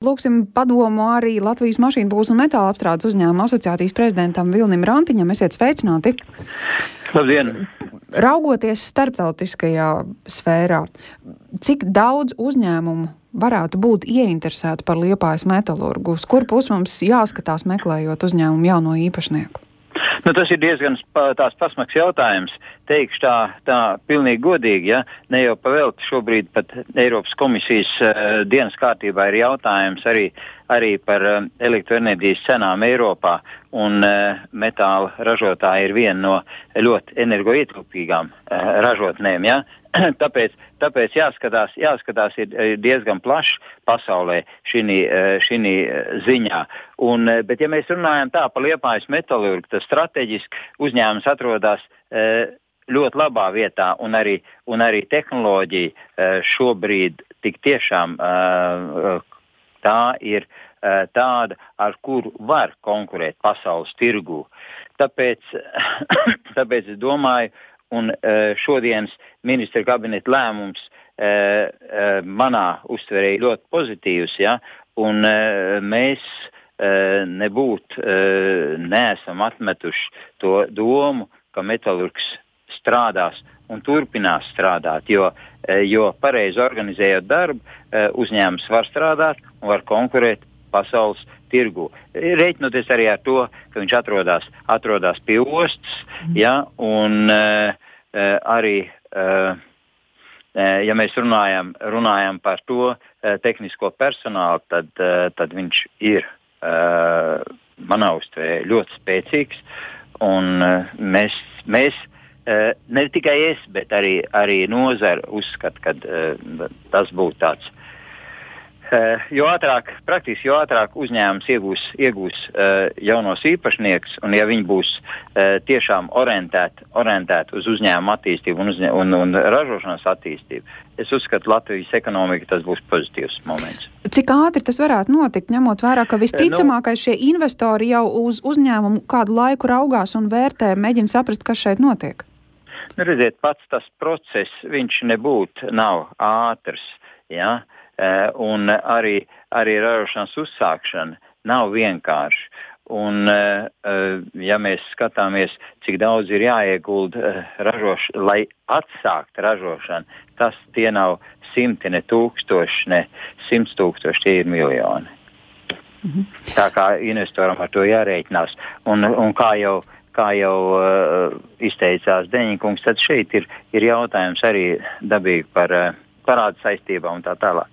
Lūksim padomu arī Latvijas mašīnbūves un metāla apstrādes uzņēmuma asociācijas prezidentam Vilnim Rantiņam. Esiet sveicināti! Labdien! Raugoties starptautiskajā sfērā, cik daudz uzņēmumu varētu būt ieinteresēti par Liepājas metalurgu? Uz kur pusi mums jāskatās meklējot uzņēmumu jauno īpašnieku? Tas ir diezgan tās pasmaks jautājums. Teikšu tā pilnīgi godīgi, ja ne jau pavēlti šobrīd pat Eiropas komisijas dienas kārtībā ir jautājums arī par elektroenerģijas cenām Eiropā, un metāla ražotāji ir viena no ļoti energoietilpīgām ražotnēm, ja? Tāpēc jāskatās ir diezgan plašs pasaulē šī ziņā. Bet ja mēs runājam tā par Liepājas metalurgu, tas strateģiski uzņēmums atrodas ļoti labā vietā, un arī tehnoloģija šobrīd tik tiešām tā ir tāda, ar kuru var konkurēt pasaules tirgū. Tāpēc es domāju, un šodienas ministra kabineta lēmums manā uztverē ir ļoti pozitīvs, ja, un mēs neesam atmetuši to domu, ka metalurgs strādās un turpinās strādāt, jo pareizi organizējot darbu, uzņēmums var strādāt un var konkurēt pasaules tirgu. Reiķinoties arī ar to, ka viņš atrodas pie ostas, ja, un arī, ja mēs runājam par to tehnisko personālu, tad viņš ir manā uztverē ļoti spēcīgs, un mēs ne tikai es, bet arī nozara uzskata, ka tas būtu tāds. Jo ātrāk uzņēmums iegūs jaunos īpašniekus, un ja viņi būs tiešām orientēti uz uzņēmumu attīstību un ražošanas attīstību, es uzskatu, Latvijas ekonomika tas būs pozitīvs moments. Cik ātri tas varētu notikt, ņemot vērā, ka visticamākais šie investori jau uz uzņēmumu kādu laiku raugās un vērtē, mēģina saprast, kas šeit notiek? Redziet, pats tas process, viņš nav ātrs, ja? Un arī ražošanas uzsākšana nav vienkārši. Un, ja mēs skatāmies, cik daudz ir jāiegulda lai atsākt ražošanu, tie nav simti, ne tūkstoši, ne 100 tūkstoši, tie ir miljoni. Tā kā investoram ar to jārēķinās. Un kā jau izteicās Deņikungs, tad šeit ir jautājums arī dabīgi par parādu saistībām un tā tālāk.